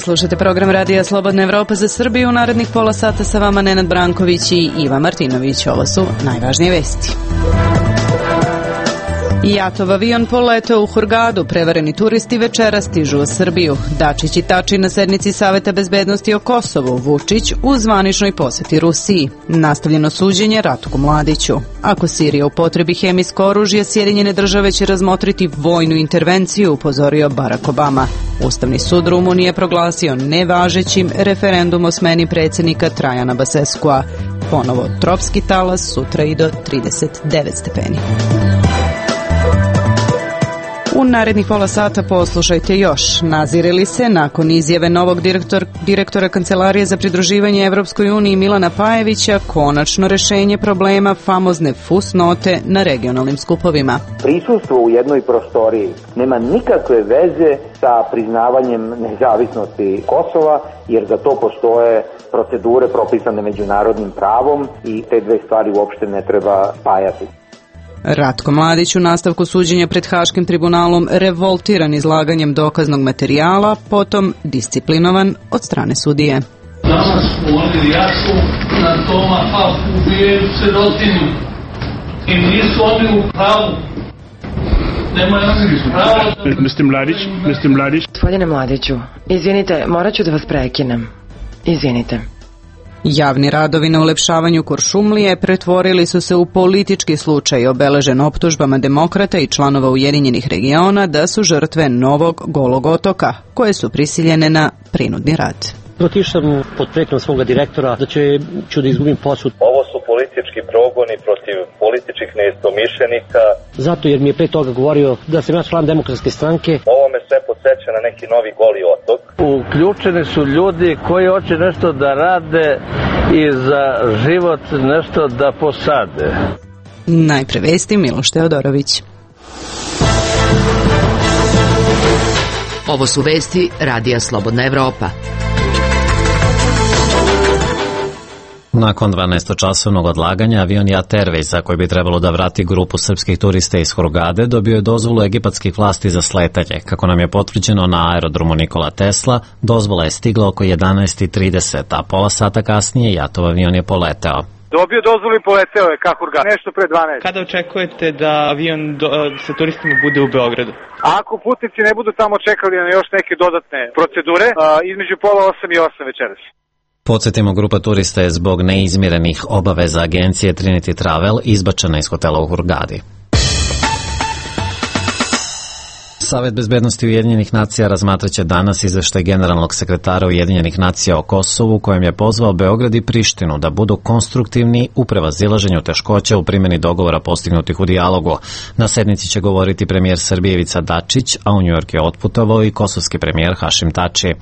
slušate program Radija Slobodna Evropa za Srbiju. U narednih pola sata sa vama Nenad Branković i Iva Martinović. Ovo su najvažnije vesti. Jatov avion poleteo u Hurgadu, prevareni turisti večera stižu u Srbiju. Dačić i Tači na sednici Saveta bezbednosti o Kosovu, Vučić u zvaničnoj poseti Rusiji. Nastavljeno suđenje Ratku Mladiću. Ako Sirija upotrebi hemijsko oružje, Sjedinjene države će razmotriti vojnu intervenciju, upozorio Barack Obama. Ustavni sud Rumunije proglasio nevažećim referendum o smeni predsjednika Trajana Baseskua. Ponovo tropski talas, sutra i do 39 stepeni. U narednih pola sata poslušajte još. Nazire li se nakon izjave novog direktora Kancelarije za pridruživanje Evropskoj uniji Milana Pajevića konačno rešenje problema famozne fusnote na regionalnim skupovima? Prisustvo u jednoj prostoriji nema nikakve veze sa priznavanjem nezavisnosti Kosova, jer za to postoje procedure propisane međunarodnim pravom i te dve stvari uopšte ne treba spajati. Ratko Mladić u nastavku suđenja pred Haškim tribunalom revoltiran izlaganjem dokaznog materijala, potom disciplinovan od strane sudije. Danas oni jasu na toma ubijaju sirotinu i nisu oni u pravu. Nemaju pravo. Mr. Mladić. Gospodine Mladiću, izvinite, morat ću da vas prekinem. Izvinite. Javni radovi na ulepšavanju Kuršumlije pretvorili su se u politički slučaj obeležen optužbama demokrata i članova Ujedinjenih regiona da su žrtve novog Golog otoka, koje su prisiljene na prinudni rad. Otišao sam pod pretnjom svoga direktora da ću da izgubim posao. Ovo su politički progoni protiv političkih neistomišljenika. Zato jer mi je pre toga govorio da sam ja član Demokratske stranke. Ovo me sve podsjeća na neki novi Goli otok. Uključeni su ljudi koji hoće nešto da rade i za život nešto da posade. Najpre vesti, Miloš Teodorović. Ovo su vesti Radija Slobodna Evropa. Nakon 12-časovnog odlaganja, avion JAT Airwaysa, koji bi trebalo da vrati grupu srpskih turista iz Hurgade, dobio je dozvolu egipatskih vlasti za sletanje. Kako nam je potvrđeno na aerodromu Nikola Tesla, dozvola je stigla oko 11:30, a pola sata kasnije JAT-ov avion je poleteo. Dobio dozvolu i poleteo je ka Hurgadi, nešto pre 12. Kada očekujete da avion sa turistima bude u Beogradu? Ako putnici ne budu tamo čekali na još neke dodatne procedure, između pola 8 i 8 večeras. Podsjetimo, grupa turista je zbog neizmirenih obaveza agencije Trinity Travel izbačena iz hotela u Hurgadi. Savet bezbednosti Ujedinjenih nacija razmatraće danas izveštaj generalnog sekretara Ujedinjenih nacija o Kosovu, kojem je pozvao Beograd i Prištinu da budu konstruktivni u prevazilaženju teškoća u primjeni dogovora postignutih u dijalogu. Na sednici će govoriti premijer Srbije Ivica Dačić, a u Njujork je otputovao i kosovski premijer Hašim Tači.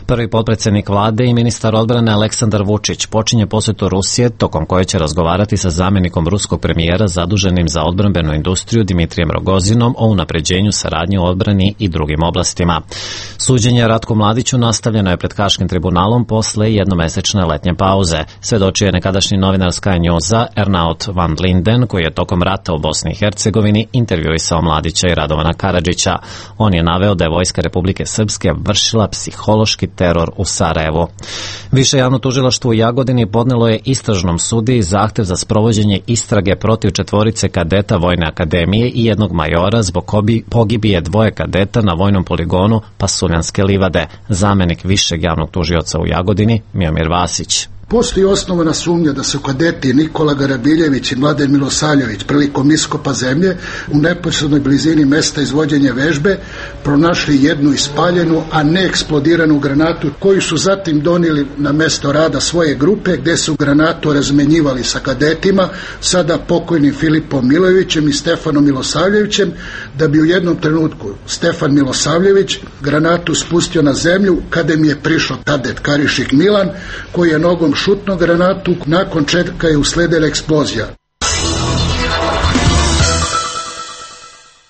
Prvi potpredsednik vlade i ministar odbrane Aleksandar Vučić počinje posetu Rusije, tokom koje će razgovarati sa zamenikom ruskog premijera zaduženim za odbrambenu industriju Dimitrijem Rogozinom o unapređenju saradnje u odbrani i drugim oblastima. Suđenje Ratku Mladiću nastavljeno je pred Haškim tribunalom posle jednomesečne letnje pauze. Svedočio je nekadašnji novinar Sky Newsa Ernaut van Linden, koji je tokom rata u Bosni i Hercegovini intervjuisao Mladića i Radovana Karadžića. On je naveo da je Vojska Republike Srpske vršila psihološki teror u Sarajevu. Više javno tužilaštvo u Jagodini podnelo je istražnom sudiji zahtev za sprovođenje istrage protiv 4 kadeta Vojne akademije i jednog majora zbog pogibije 2 kadeta na vojnom poligonu Pasuljanske livade. Zamenik višeg javnog tužioca u Jagodini, Miomir Vasić. Postoji osnovana sumnja da su kadeti Nikola Garabiljević i Mladen Milosavljević prilikom iskopa zemlje u neposrednoj blizini mesta izvođenja vežbe pronašli jednu ispaljenu, a ne eksplodiranu granatu, koju su zatim donijeli na mesto rada svoje grupe, gde su granatu razmenjivali sa kadetima, sada pokojnim Filipom Milojevićem i Stefanom Milosavljevićem, da bi u jednom trenutku Stefan Milosavljević granatu spustio na zemlju, kada mi je prišao kadet Karišik Milan, koji je nogom šutno granatu, nakon čega je usledila eksplozija.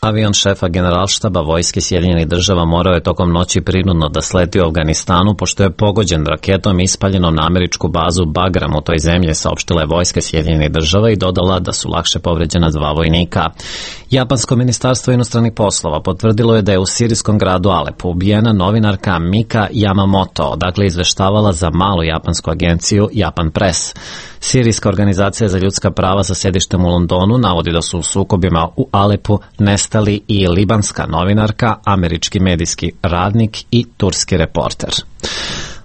Avion šefa generalštaba vojske Sjedinjenih država morao je tokom noći prinudno da sleti u Afganistanu pošto je pogođen raketom ispaljenom na američku bazu Bagram u toj zemlji, saopštila je vojska Sjedinjenih država i dodala da su lakše povređena 2 vojnika. Japansko ministarstvo inostranih poslova potvrdilo je da je u sirijskom gradu Alepu ubijena novinarka Mika Yamamoto, odakle izveštavala za malu japansku agenciju Japan Press. Sirijska organizacija za ljudska prava sa sedištem u Londonu navodi da su u sukobima u Alepu nestali i libanska novinarka, američki medijski radnik i turski reporter.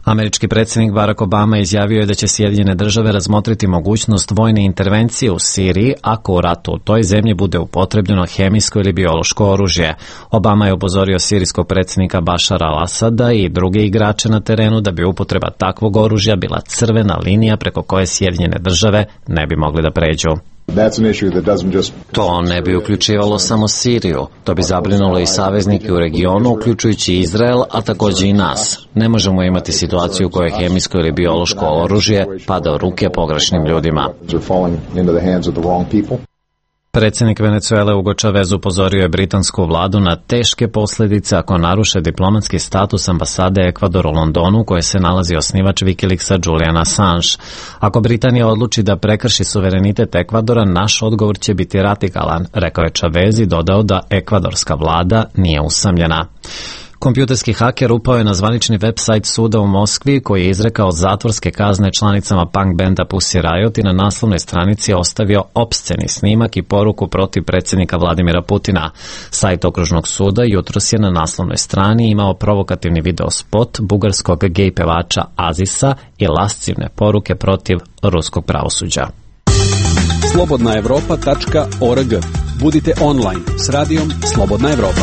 Američki predsjednik Barack Obama izjavio je da će Sjedinjene države razmotriti mogućnost vojne intervencije u Siriji ako u ratu u toj zemlji bude upotrebljeno hemijsko ili biološko oružje. Obama je upozorio sirijskog predsjednika Bašara al-Asada i druge igrače na terenu da bi upotreba takvog oružja bila crvena linija preko koje Sjedinjene države ne bi mogli da pređu. To ne bi uključivalo samo Siriju, to bi zabrinulo i saveznike u regionu, uključujući Izrael, a također i nas. Ne možemo imati situaciju u kojoj hemijsko ili biološko oružje pada u ruke pogrešnim ljudima. Predsjednik Venezuele Hugo Chavez upozorio je britansku vladu na teške posljedice ako naruše diplomatski status ambasade Ekvadora u Londonu u kojoj se nalazi osnivač Wikileaksa Julian Assange. Ako Britanija odluči da prekrši suverenitet Ekvadora, naš odgovor će biti radikalan, rekao je Chavez i dodao da ekvadorska vlada nije usamljena. Kompjuterski haker upao je na zvanični website suda u Moskvi koji je izrekao zatvorske kazne članicama punk benda Pussy Riot i na naslovnoj stranici ostavio opsceni snimak i poruku protiv predsjednika Vladimira Putina. Sajt okružnog suda jutros je na naslovnoj strani imao provokativni video spot bugarskog gej pevača Azisa i lascivne poruke protiv ruskog pravosuđa. slobodnaevropa.org. Budite online s radijom Slobodna Evropa.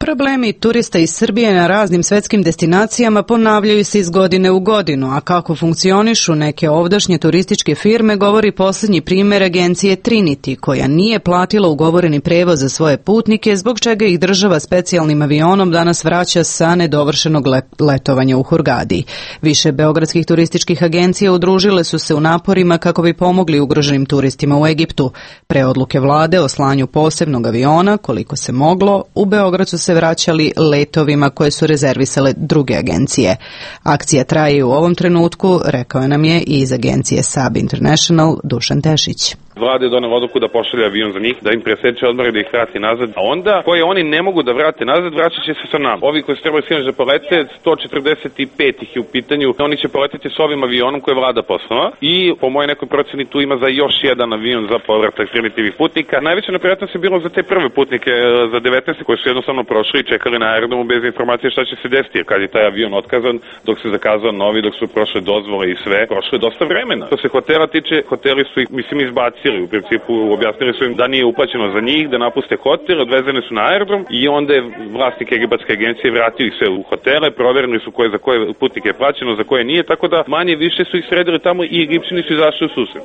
Problemi turista iz Srbije na raznim svetskim destinacijama ponavljaju se iz godine u godinu, a kako funkcionišu neke ovdašnje turističke firme govori posljednji primjer agencije Trinity, koja nije platila ugovoreni prevoz za svoje putnike, zbog čega ih država specijalnim avionom danas vraća sa nedovršenog letovanja u Hurgadi. Više beogradskih turističkih agencija udružile su se u naporima kako bi pomogli ugroženim turistima u Egiptu. Pre odluke vlade o slanju posebnog aviona, koliko se moglo, u Beograd su se vraćali letovima koje su rezervisale druge agencije. Akcija traje u ovom trenutku, rekao nam je i iz agencije SAB International Dušan Tešić. Vlada je donela odluku da pošalje avion za njih, da im preseče odmore, da ih vrati nazad. A onda, koje oni ne mogu da vrate nazad, vraćat će se sa nama. Ovi koji se trebaju sinoć da polete, 145 ih je u pitanju. Oni će poletiti s ovim avionom koje je vlada poslala. I po mojoj nekoj proceni tu ima za još jedan avion za povratak Trinityvih putnika. Najveća neprijatnost je bilo za te prve putnike, za 19 koji su jednostavno prošli i čekali na aerodromu bez informacije šta će se desiti. Jer kad je taj avion otkazan, dok se zakazao novi, dok su prošle dozvole i sve, prošlo je dosta vremena. Što se hotela tiče, hoteli su ih, izbacili. U principu objasnili su im da nije uplaćeno za njih, da napuste hotel, odvezeni su na aerodrom i onda je vlasnik egipatske agencije vratio ih sve u hotele, proverili su za koje putnike je plaćeno, za koje nije, tako da manje više su ih sredili tamo i Egipćani su izašli u susret.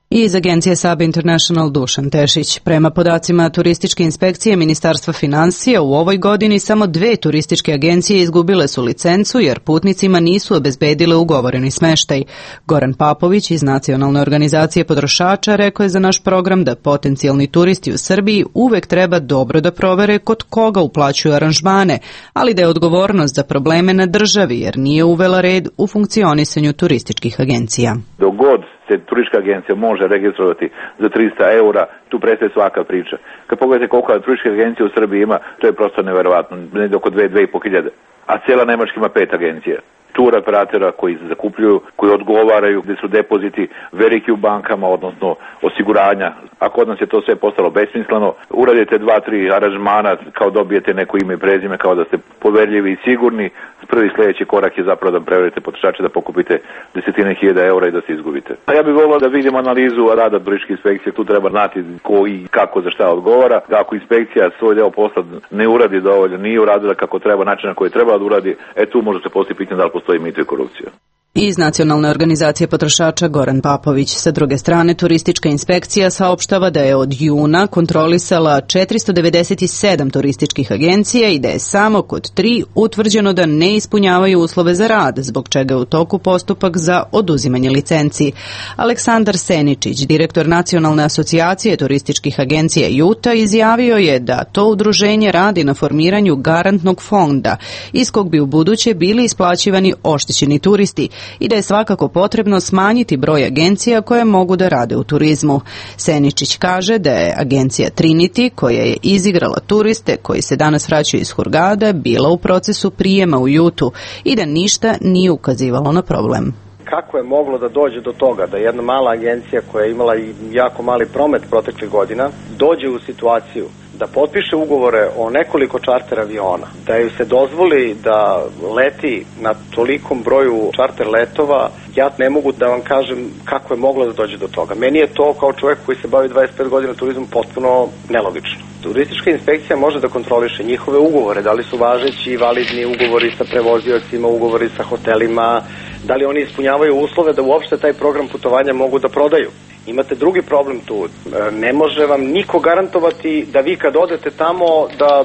I iz agencije SAB International Dušan Tešić. Prema podacima turističke inspekcije Ministarstva financija u ovoj godini samo 2 turističke agencije izgubile su licencu jer putnicima nisu obezbedile ugovoreni smeštaj. Goran Papović iz Nacionalne organizacije potrošača rekao je za naš program da potencijalni turisti u Srbiji uvek treba dobro da provere kod koga uplaćuju aranžmane, ali da je odgovornost za probleme na državi jer nije uvela red u funkcionisanju turističkih agencija. Dogod se turistička agencija može registrovati za 300 eura, tu prestaje svaka priča. Kad pogledate koliko turistička agencija u Srbiji ima, to je prosto neverovatno, negdje oko 2-2,5 hiljade. A cijela Nemačka ima 5 agencija. Tur operatora koji zakupljuju, koji odgovaraju, gdje su depoziti veliki u bankama, odnosno osiguranja. A kod nas je to sve postalo besmisleno. Uradite 2-3 aranžmana kao dobijete neko ime i prezime, kao da ste poverljivi i sigurni. Prvi sljedeći korak je zapravo da preverite potrošače, da pokupite desetine hiljada eura i da se izgubite. A ja bih volio da vidim analizu rada turističke inspekcije. Tu treba znati ko i kako za šta odgovara. Da ako inspekcija svoj deo posla ne uradi dovoljno, nije uradila kako treba, način na koji treba da uradi, tu može se postaviti pitanje da li postoji mito i korupcija. Iz Nacionalne organizacije potrošača Goran Papović. Sa druge strane, turistička inspekcija saopštava da je od juna kontrolisala 497 turističkih agencija i da je samo kod 3 utvrđeno da ne ispunjavaju uslove za rad, zbog čega je u toku postupak za oduzimanje licenci. Aleksandar Seničić, direktor Nacionalne asocijacije turističkih agencija JUTA, izjavio je da to udruženje radi na formiranju garantnog fonda iz kog bi u buduće bili isplaćivani oštećeni turisti i da je svakako potrebno smanjiti broj agencija koje mogu da rade u turizmu. Seničić kaže da je agencija Trinity, koja je izigrala turiste koji se danas vraćaju iz Hurgada, bila u procesu prijema u JUTA-u i da ništa nije ukazivalo na problem. Kako je moglo da dođe do toga da jedna mala agencija koja je imala i jako mali promet proteklih godina dođe u situaciju da potpiše ugovore o nekoliko čarter aviona, da ju se dozvoli da leti na tolikom broju čarter letova, ja ne mogu da vam kažem kako je moglo da dođe do toga. Meni je to kao čovjek koji se bavi 25 godina turizmom potpuno nelogično. Turistička inspekcija može da kontroliše njihove ugovore, da li su važeći i validni ugovori sa prevoziocima, ugovori sa hotelima, da li oni ispunjavaju uslove da uopšte taj program putovanja mogu da prodaju. Imate drugi problem tu. Ne može vam niko garantovati da vi kad odete tamo da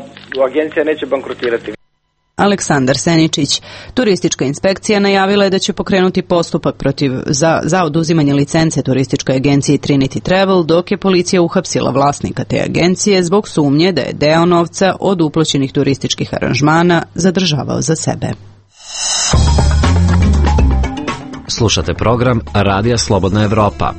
agencija neće bankrotirati. Aleksandar Seničić. Turistička inspekcija najavila je da će pokrenuti postupak za oduzimanje licence turističkoj agenciji Trinity Travel, dok je policija uhapsila vlasnika te agencije zbog sumnje da je deo novca od uplaćenih turističkih aranžmana zadržavao za sebe. Slušate program Radija Slobodna Evropa.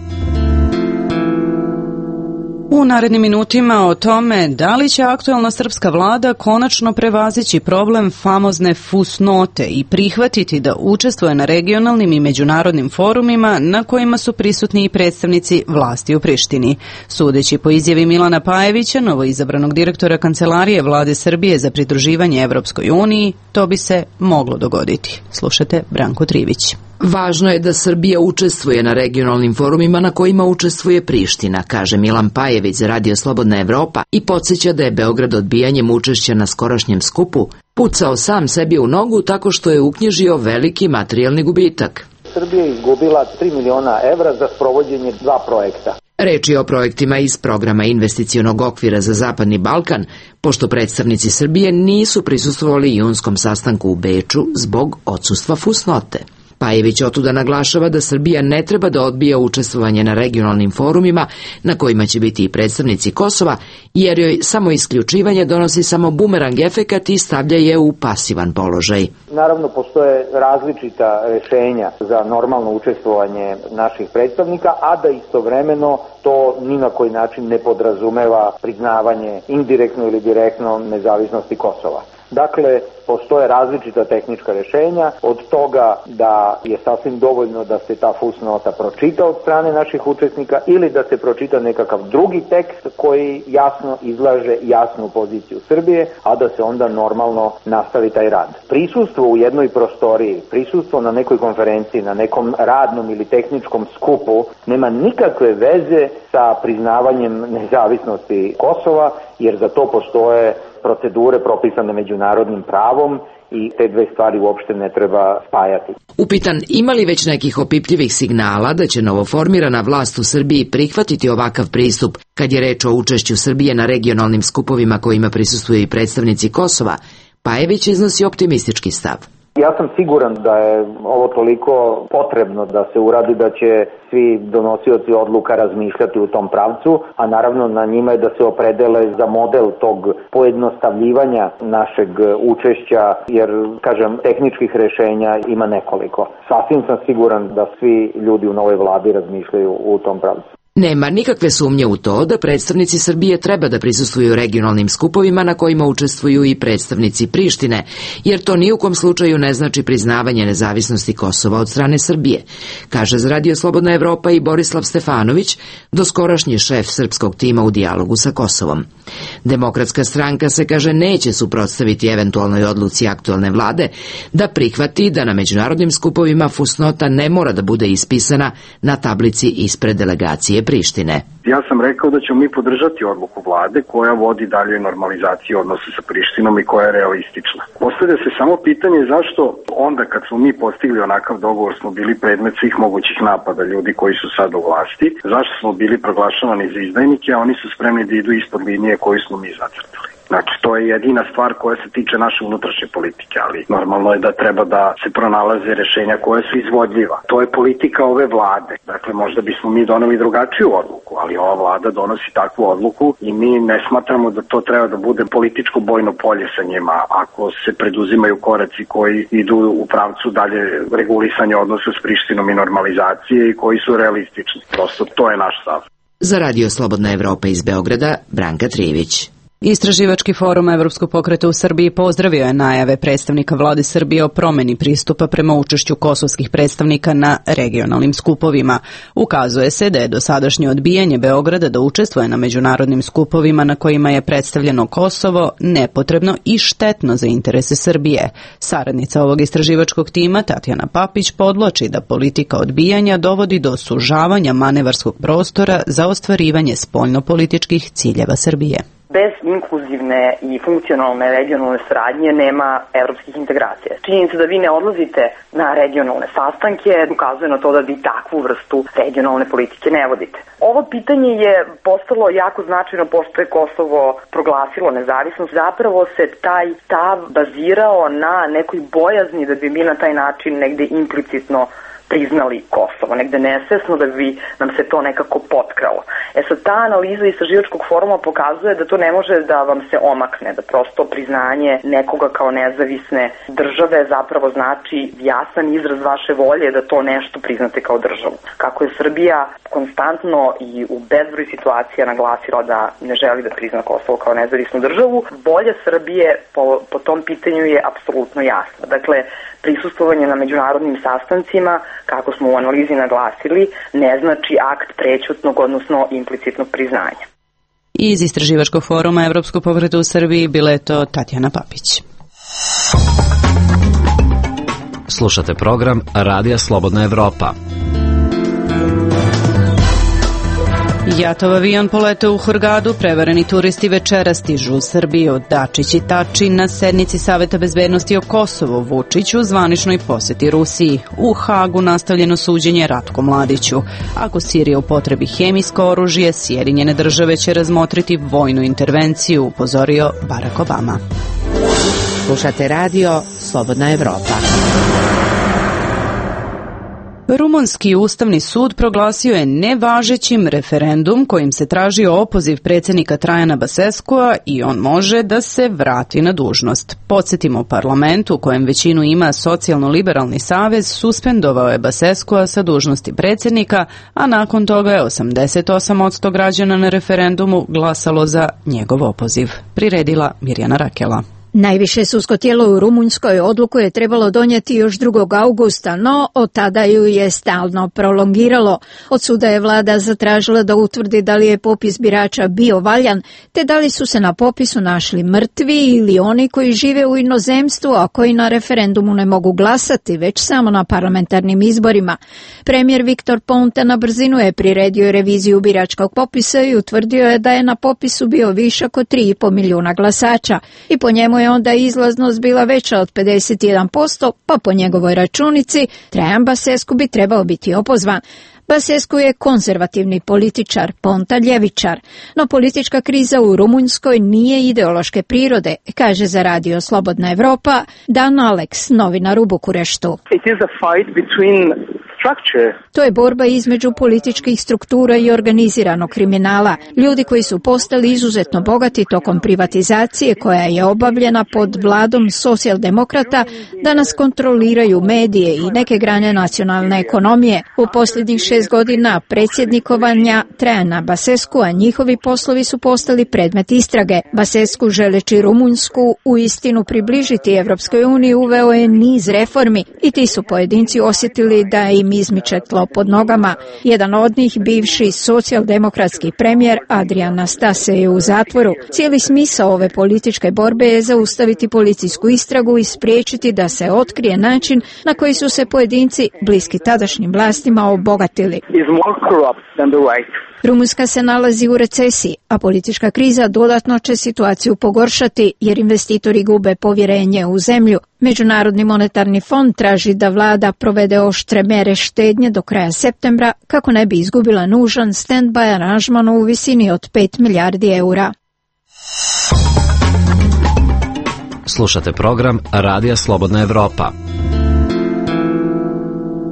U narednim minutima o tome da li će aktuelna srpska vlada konačno prevazići problem famozne fusnote i prihvatiti da učestvuje na regionalnim i međunarodnim forumima na kojima su prisutni i predstavnici vlasti u Prištini. Sudeći po izjavi Milana Pajevića, novoizabranog direktora Kancelarije Vlade Srbije za pridruživanje Evropskoj uniji, to bi se moglo dogoditi. Slušate Branko Trivić. Važno je da Srbija učestvuje na regionalnim forumima na kojima učestvuje Priština, kaže Milan Pajević za Radio Slobodna Evropa i podsjeća da je Beograd odbijanjem učešća na skorašnjem skupu pucao sam sebi u nogu tako što je uknjižio veliki materijalni gubitak. Srbija je izgubila 3 miliona evra za sprovođenje 2 projekta. Reč je o projektima iz programa investicionog okvira za Zapadni Balkan, pošto predstavnici Srbije nisu prisustvovali junskom sastanku u Beču zbog odsustva fusnote. Pajević otuda naglašava da Srbija ne treba da odbija učestvovanje na regionalnim forumima na kojima će biti i predstavnici Kosova, jer joj samo isključivanje donosi samo bumerang efekat i stavlja je u pasivan položaj. Naravno, postoje različita rešenja za normalno učestvovanje naših predstavnika, a da istovremeno to ni na koji način ne podrazumeva priznavanje indirektno ili direktno nezavisnosti Kosova. Dakle, postoje različita tehnička rešenja, od toga da je sasvim dovoljno da se ta fusnota pročita od strane naših učesnika ili da se pročita nekakav drugi tekst koji jasno izlaže jasnu poziciju Srbije, a da se onda normalno nastavi taj rad. Prisustvo u jednoj prostoriji, prisustvo na nekoj konferenciji, na nekom radnom ili tehničkom skupu nema nikakve veze sa priznavanjem nezavisnosti Kosova, jer za to postoje procedure propisane međunarodnim pravom i te dve stvari uopšte ne treba spajati. Upitan ima li već nekih opipljivih signala da će novoformirana vlast u Srbiji prihvatiti ovakav pristup kad je reč o učešću Srbije na regionalnim skupovima kojima prisustvuju i predstavnici Kosova, Pajević iznosi optimistički stav. Ja sam siguran da je ovo toliko potrebno da se uradi da će svi donosioci odluka razmišljati u tom pravcu, a naravno na njima je da se opredele za model tog pojednostavljivanja našeg učešća, jer, kažem, tehničkih rešenja ima nekoliko. Sasvim sam siguran da svi ljudi u novoj vladi razmišljaju u tom pravcu. Nema nikakve sumnje u to da predstavnici Srbije treba da prisustvuju regionalnim skupovima na kojima učestvuju i predstavnici Prištine, jer to ni u kom slučaju ne znači priznavanje nezavisnosti Kosova od strane Srbije, kaže za Radio Slobodna Evropa i Borislav Stefanović, doskorašnji šef srpskog tima u dijalogu sa Kosovom. Demokratska stranka se, kaže, neće suprotstaviti eventualnoj odluci aktuelne vlade da prihvati da na međunarodnim skupovima fusnota ne mora da bude ispisana na tablici ispred delegacije teritorije Prištine. Ja sam rekao da ćemo mi podržati odluku vlade koja vodi dalje normalizaciju odnosa sa Prištinom i koja je realistična. Postavlja se samo pitanje zašto onda kad smo mi postigli onakav dogovor smo bili predmet svih mogućih napada ljudi koji su sad u vlasti, zašto smo bili proglašavani za izdajnike, a oni su spremni da idu ispod linije koju smo mi zacrtali. Znači, to je jedina stvar koja se tiče naše unutrašnje politike, ali normalno je da treba da se pronalaze rešenja koja su izvodljiva. To je politika ove vlade. Dakle, možda bismo mi doneli drugačiju odluku, ali ova vlada donosi takvu odluku i mi ne smatramo da to treba da bude političko bojno polje sa njima ako se preduzimaju koraci koji idu u pravcu dalje regulisanja odnosa s Prištinom i normalizacije i koji su realistični. Prosto, to je naš stav. Za Radio Slobodna Evropa iz Beograda, Branka Trivić. Istraživački forum Evropskog pokreta u Srbiji pozdravio je najave predstavnika vlade Srbije o promeni pristupa prema učešću kosovskih predstavnika na regionalnim skupovima. Ukazuje se da je dosadašnje odbijanje Beograda da učestvuje na međunarodnim skupovima na kojima je predstavljeno Kosovo nepotrebno i štetno za interese Srbije. Saradnica ovog istraživačkog tima, Tatjana Papić, podvlači da politika odbijanja dovodi do sužavanja manevarskog prostora za ostvarivanje spoljnopolitičkih ciljeva Srbije. Bez inkluzivne i funkcionalne regionalne saradnje nema evropskih integracija. Činjenica da vi ne odlazite na regionalne sastanke ukazuje na to da vi takvu vrstu regionalne politike ne vodite. Ovo pitanje je postalo jako značajno pošto je Kosovo proglasilo nezavisnost. Zapravo se taj stav bazirao na nekoj bojazni da bi mi na taj način negde implicitno priznali Kosovo, negde nesvesno da bi nam se to nekako potkralo. Sad, ta analiza istraživačkog foruma pokazuje da to ne može da vam se omakne, da prosto priznanje nekoga kao nezavisne države zapravo znači jasan izraz vaše volje da to nešto priznate kao državu. Kako je Srbija konstantno i u bezbroj situacija naglasila da ne želi da prizna Kosovo kao nezavisnu državu, volja Srbije po tom pitanju je apsolutno jasna. Dakle, prisustvovanje na međunarodnim sastancima, kako smo u analizi naglasili, ne znači akt prećutnog, odnosno implicitnog priznanja. Iz Istraživačkog foruma Evropskog pokreta u Srbiji bila je to Tatjana Papić. Slušate program Radija Slobodna Evropa. Jatov avion poleteo u Hurgadu, prevareni turisti večera stižu u Srbiju. Dačić i Tači na sednici Saveta bezbednosti o Kosovu, Vučić u zvaničnoj poseti Rusiji. U Hagu nastavljeno suđenje Ratku Mladiću. Ako Sirija upotrebi hemijsko oružje, Sjedinjene države će razmotriti vojnu intervenciju, upozorio Barack Obama. Slušate radio Slobodna Evropa. Rumunski ustavni sud proglasio je nevažećim referendum kojim se traži opoziv predsjednika Trajana Baseskua i on može da se vrati na dužnost. Podsjetimo, parlament u kojem većinu ima Socijalno-liberalni savez suspendovao je Baseskua sa dužnosti predsjednika, a nakon toga je 88% građana na referendumu glasalo za njegov opoziv. Priredila Mirjana Rakela. Najviše sudsko tijelo u Rumunjskoj odluku je trebalo donijeti još 2. augusta, no od tada ju je stalno prolongiralo. Od suda je vlada zatražila da utvrdi da li je popis birača bio valjan, te da li su se na popisu našli mrtvi ili oni koji žive u inozemstvu, a koji na referendumu ne mogu glasati, već samo na parlamentarnim izborima. Premijer Viktor Ponta na brzinu je priredio reviziju biračkog popisa i utvrdio je da je na popisu bio višak od 3,5 milijuna glasača i po njemu je onda izlaznost bila veća od 51%, pa po njegovoj računici Trajan Basescu bi trebao biti opozvan. Basescu je konzervativni političar, Ponta ljevičar, no politička kriza u Rumunjskoj nije ideološke prirode, kaže za Radio Slobodna Evropa Dan Alex, novinar u Bukureštu. It is a fight between To je borba između političkih struktura i organiziranog kriminala. Ljudi koji su postali izuzetno bogati tokom privatizacije koja je obavljena pod vladom socijaldemokrata danas kontroliraju medije i neke grane nacionalne ekonomije. U posljednjih 6 godina predsjednikovanja Trajana Baseskua njihovi poslovi su postali predmet istrage. Basescu, želeći Rumunjsku u istinu približiti Evropskoj uniji, uveo je niz reformi i ti su pojedinci osjetili da im im izmiče tlo pod nogama. Jedan od njih, bivši socijaldemokratski premijer Adrian Nastase, je u zatvoru. Cijeli smisao ove političke borbe je zaustaviti policijsku istragu i spriječiti da se otkrije način na koji su se pojedinci bliski tadašnjim vlastima obogatili. Rumunjska se nalazi u recesiji, a politička kriza dodatno će situaciju pogoršati jer investitori gube povjerenje u zemlju. Međunarodni monetarni fond traži da vlada provede oštre mere štednje do kraja septembra kako ne bi izgubila nužan stand-by aranžman u visini od 5 milijardi eura. Slušate program Radija Slobodna Evropa.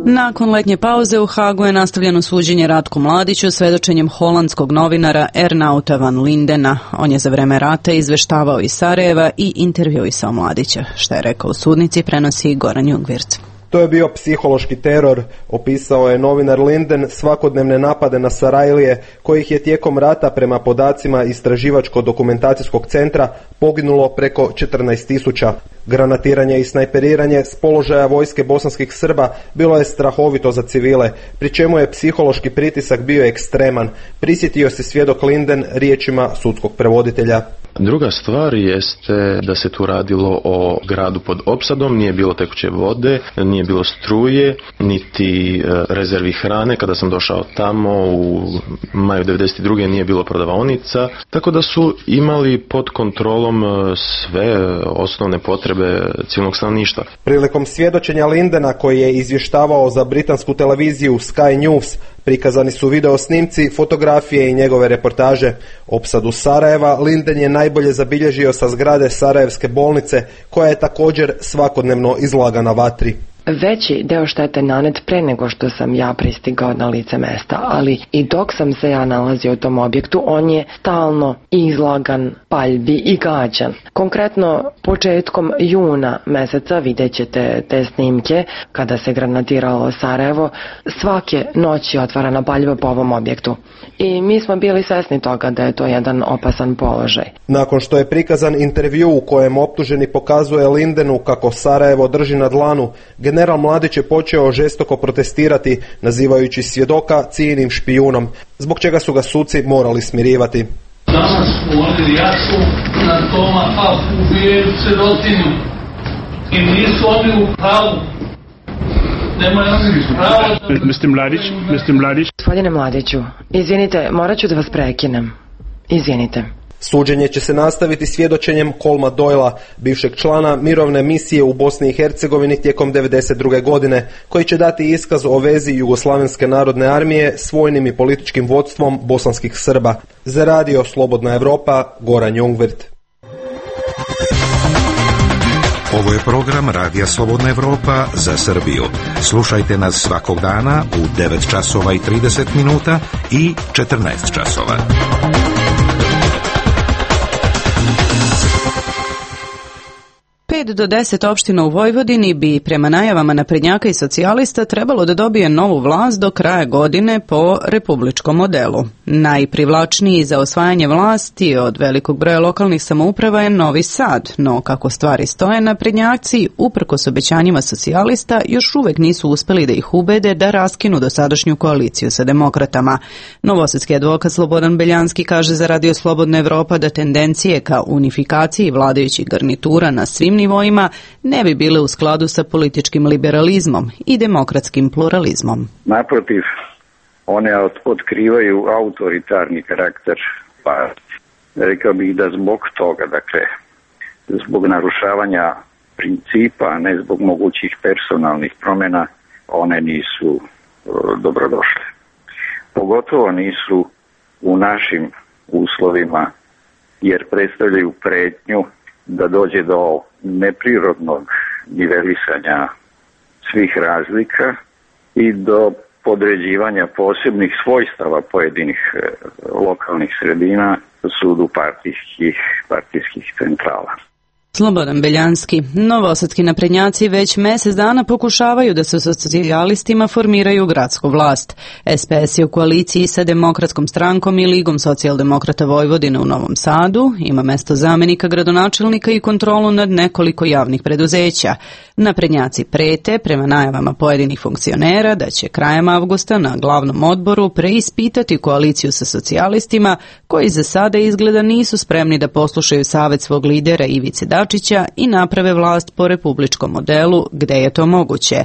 Nakon letnje pauze u Hagu je nastavljeno suđenje Ratku Mladiću svedočenjem holandskog novinara Ernouta van Lindena. On je za vreme rata izveštavao iz Sarajeva i intervjuisao Mladića. Šta je rekao u sudnici, prenosi Goran Jungwirth. To je bio psihološki teror, opisao je novinar Linden svakodnevne napade na Sarajlije, kojih je tijekom rata prema podacima Istraživačko-dokumentacijskog centra poginulo preko 14.000. Granatiranje i snajperiranje s položaja vojske bosanskih Srba bilo je strahovito za civile, pri čemu je psihološki pritisak bio ekstreman, prisjetio se svjedok Linden riječima sudskog prevoditelja. Druga stvar jeste da se tu radilo o gradu pod opsadom, nije bilo tekuće vode, nije bilo struje, niti rezervi hrane. Kada sam došao tamo u maju 1992. nije bilo prodavaonica, tako da su imali pod kontrolom sve osnovne potrebe civilnog stanovništva. Prilikom svjedočenja Lindena, koji je izvještavao za britansku televiziju Sky News, prikazani su video snimci, fotografije i njegove reportaže. Opsadu Sarajeva Linden je najbolje zabilježio sa zgrade Sarajevske bolnice, koja je također svakodnevno izlagana vatri. Veći deo štete nanet pre nego što sam ja pristigao na lice mesta, ali i dok sam se ja nalazio u tom objektu, on je stalno izlagan paljbi i gađan. Konkretno, početkom juna meseca vidjet ćete te snimke kada se granatiralo Sarajevo, svake noći je otvarana paljba po ovom objektu. I mi smo bili svesni toga da je to jedan opasan položaj. Nakon što je prikazan intervju u kojem optuženi pokazuje Lindenu kako Sarajevo drži na dlanu, general Mladić je počeo žestoko protestirati, nazivajući svjedoka cijenim špijunom, zbog čega su ga suci morali smirivati. Danas govorili jasu na toma, a ubijaju sirotinju i nisu oni u pravu. Nemaju oni pravo Mr. Mladić. Gospodine Mladiću, izvinite, morat ću da vas prekinem. Izvinite. Suđenje će se nastaviti svjedočenjem Colma Doylea, bivšeg člana mirovne misije u Bosni i Hercegovini tijekom 1992. godine, koji će dati iskaz o vezi Jugoslavenske narodne armije s vojnim i političkim vodstvom bosanskih Srba. Za Radio Slobodna Evropa, Goran Jungwirth. Ovo je program Radija Slobodna Evropa za Srbiju. Slušajte nas svakog dana u 9 časova i 30 minuta i 14 časova. Do 10 opština u Vojvodini bi prema najavama naprednjaka i socijalista trebalo da dobije novu vlast do kraja godine po republičkom modelu. Najprivlačniji za osvajanje vlasti od velikog broja lokalnih samouprava je Novi Sad, no kako stvari stoje, naprednjaci, uprkos obećanjima socijalista, još uvek nisu uspeli da ih ubede da raskinu dosadašnju koaliciju sa demokratama. Novosadski advokat Slobodan Beljanski kaže za Radio Slobodna Evropa da tendencije ka unifikaciji vladajućih garnitura na svim nivoima ne bi bile u skladu sa političkim liberalizmom i demokratskim pluralizmom. Naprotiv, one otkrivaju autoritarni karakter partije. Rekao bih da zbog toga, dakle, zbog narušavanja principa, a ne zbog mogućih personalnih promjena, one nisu dobrodošle. Pogotovo nisu u našim uslovima, jer predstavljaju pretnju da dođe do neprirodnog nivelisanja svih razlika i do podređivanja posebnih svojstava pojedinih lokalnih sredina sudu partijskih centrala. Slobodan Beljanski. Novosadski naprednjaci već mjesec dana pokušavaju da se sa socijalistima formiraju gradsku vlast. SPS je u koaliciji sa Demokratskom strankom i Ligom socijaldemokrata Vojvodine u Novom Sadu, ima mesto zamjenika gradonačelnika i kontrolu nad nekoliko javnih preduzeća. Naprednjaci prete, prema najavama pojedinih funkcionera, da će krajem avgusta na glavnom odboru preispitati koaliciju sa socijalistima, koji za sada izgleda nisu spremni da poslušaju savjet svog lidera Ivice Dačića i naprave vlast po republičkom modelu gde je to moguće.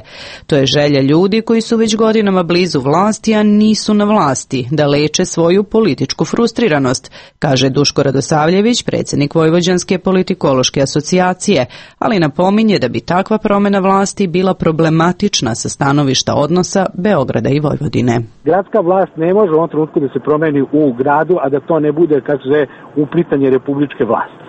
To je želja ljudi koji su već godinama blizu vlasti, a nisu na vlasti, da leče svoju političku frustriranost, kaže Duško Radosavljević, predsjednik Vojvođanske politikološke asocijacije, ali napominje da bi takva promjena vlasti bila problematična sa stanovišta odnosa Beograda i Vojvodine. Gradska vlast ne može u ovom trenutku da se promeni u gradu, a da to ne bude, kako se zove, uplitanje republičke vlasti.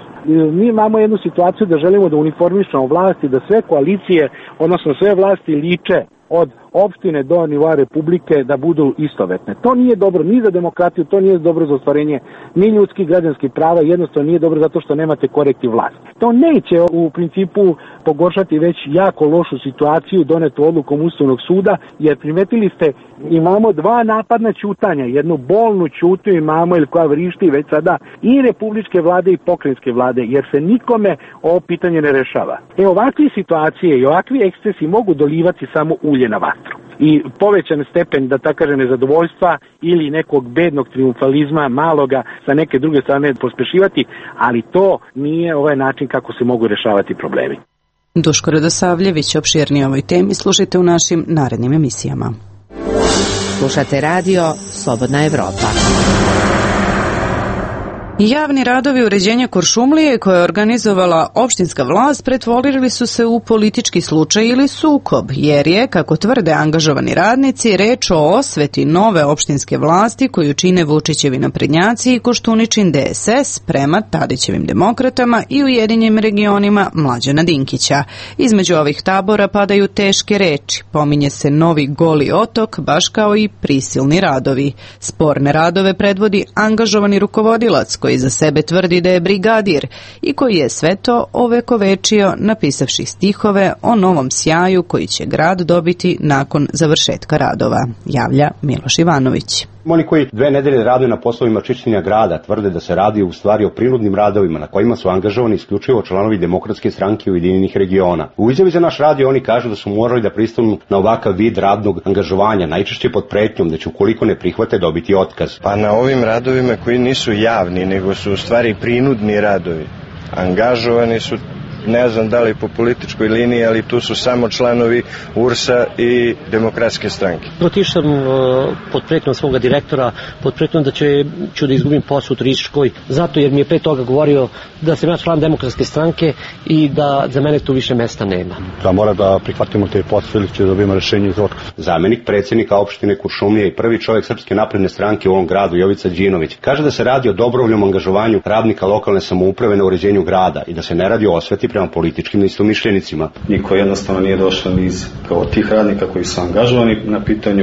Mi imamo jednu situaciju da želimo da uniformišemo vlasti, da sve koalicije, odnosno sve vlasti liče od opštine do nivoa republike da budu istovetne. To nije dobro ni za demokratiju, to nije dobro za ostvarenje ni ljudskih građanskih prava, jednostavno nije dobro zato što nemate korektiv vlasti. To neće u principu pogoršati već jako lošu situaciju donetu odlukom Ustavnog suda, jer primetili ste, imamo dva napadna ćutanja, jednu bolnu ćutnju imamo ili koja vrišti već sada i republičke vlade i pokrajinske vlade, jer se nikome ovo pitanje ne rešava. Ovakve situacije i ovakvi ekscesi mogu dolivati samo ulje na vatru. I povećan stepen, da tako kaže, nezadovoljstva ili nekog bednog triumfalizma maloga sa neke druge strane pospešivati, ali to nije ovaj način kako se mogu rešavati problemi. Duško Radosavljević, opširnije o ovoj temi slušajte u našim narednim emisijama. Slušate radio Slobodna Evropa. Javni radovi uređenja Kuršumlije koje je organizovala opštinska vlast pretvorili su se u politički slučaj ili sukob, jer je, kako tvrde angažovani radnici, reč o osveti nove opštinske vlasti koju čine Vučićevi naprednjaci i Koštuničin DSS prema Tadićevim demokratama i Ujedinjenim regionima Mlađana Dinkića. Između ovih tabora padaju teške reči, pominje se novi Goli otok, baš kao i prisilni radovi. Sporne radove predvodi angažovani rukovodilac koji za sebe tvrdi da je brigadir i koji je sve to ovekovečio napisavši stihove o novom sjaju koji će grad dobiti nakon završetka radova, javlja Miloš Ivanović. Oni koji 2 nedelje rade na poslovima čišćenja grada tvrde da se radi u stvari o prinudnim radovima na kojima su angažovani isključivo članovi Demokratske stranke Ujedinjenih regiona. U izjavi za naš radio oni kažu da su morali da pristanu na ovakav vid radnog angažovanja, najčešće pod pretnjom da će ukoliko ne prihvate dobiti otkaz. Pa na ovim radovima koji nisu javni, nego su u stvari prinudni radovi, angažovani su, ne znam da li po političkoj liniji, ali tu su samo članovi URS-a i Demokratske stranke. Otišao sam pod pretnjom svoga direktora, pod pretnjom da ću da izgubim posao u turističkoj, zato jer mi je pre toga govorio da sam ja član Demokratske stranke i da za mene tu više mesta nema. Da mora da prihvatimo te posao ili će da dobijemo rešenje za otkaz. Zamenik predsjednika opštine Kuršumlije i prvi čovjek Srpske napredne stranke u ovom gradu, Jovica Đinović, kaže da se radi o dobrovoljnom angažovanju radnika lokalne samouprave na uređenju grada i da se ne radi o osveti prema političkim istomišljenicima. Niko jednostavno nije došao niz kao tih radnika koji su angažovani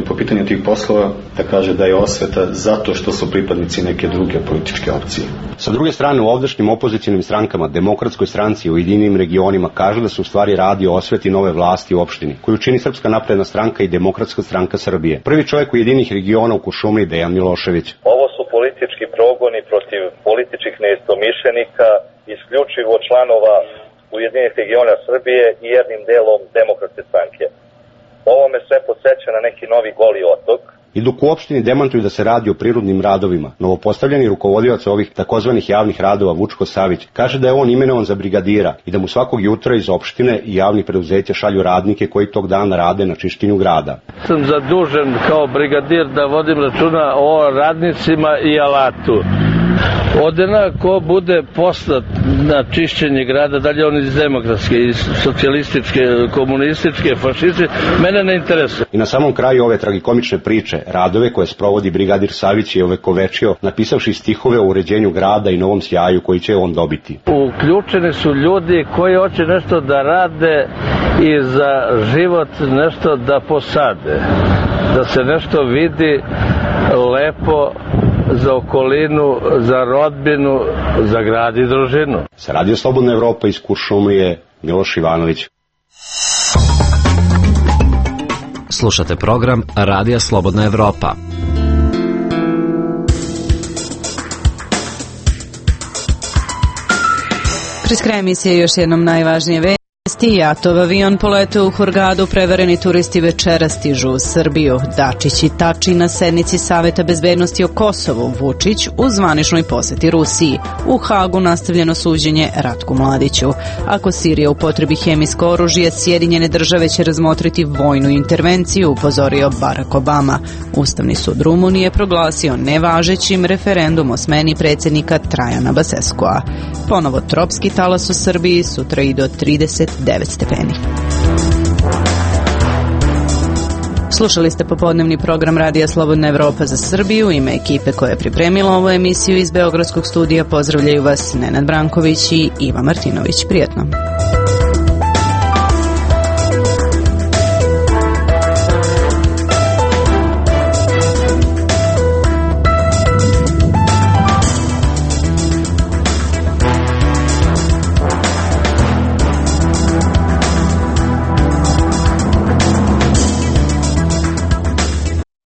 po pitanju tih poslova da kaže da je osveta zato što su pripadnici neke druge političke opcije. Sa druge strane, u ovdašnjim opozicionim strankama, Demokratskoj stranci i Ujedinjenim regionima kažu da se u stvari radi o osveti nove vlasti u opštini, koju čini Srpska napredna stranka i Demokratska stranka Srbije. Prvi čovjek Ujedinjenih regiona u Kuršumliji, Dejan Milošević. Ovo su politički progoni protiv političkih neistomišljenika, isključivo članova Ujedinjenih regiona Srbije i jednim delom Demokratske stranke. Ovo me sve podsjeća na neki novi Goli otok. I dok u opštini demantuju da se radi o prirodnim radovima, novopostavljeni rukovodilac ovih takozvanih javnih radova Vučko Savić kaže da je on imenovan za brigadira i da mu svakog jutra iz opštine i javnih preduzeća šalju radnike koji tog dana rade na čišćenju grada. Sam zadužen kao brigadir da vodim računa o radnicima i alatu. Odena ko bude poslat na čišćenje grada, dalje on iz demokratske, iz socijalističke, komunističke, fašističke, mene ne interesuje. I na samom kraju ove tragikomične priče, radove koje sprovodi brigadir Savić je ovekovečio napisavši stihove o uređenju grada i novom sjaju koji će on dobiti. Uključeni su ljudi koji hoće nešto da rade i za život nešto da posade, da se nešto vidi lepo za okolinu, za rodbinu, za grad i družinu. Sa Radio Slobodna Evropa iz Kuršumlije, Miloš Ivanović. Slušate program Radija Slobodna Evropa. Pred kraj emisije još jednom najvažnije vesti. Jatov avion poleteo u Hurgadu, prevareni turisti večera stižu u Srbiju. Dačić i Tači na sednici Saveta bezbednosti o Kosovu, Vučić u zvaničnoj poseti Rusiji. U Hagu nastavljeno suđenje Ratku Mladiću. Ako Sirija upotrebi hemijsko oružje, Sjedinjene države će razmotriti vojnu intervenciju, upozorio Barack Obama. Ustavni sud Rumunije proglasio nevažećim referendum o smeni predsjednika Trajana Baseskoa. Ponovo tropski talas u Srbiji, sutra i do 39 stepeni. Slušali ste popodnevni program Radija Slobodna Evropa za Srbiju. Ime ekipe koja je pripremila ovu emisiju iz Beogradskog studija pozdravljaju vas Nenad Branković i Iva Martinović. Prijetno.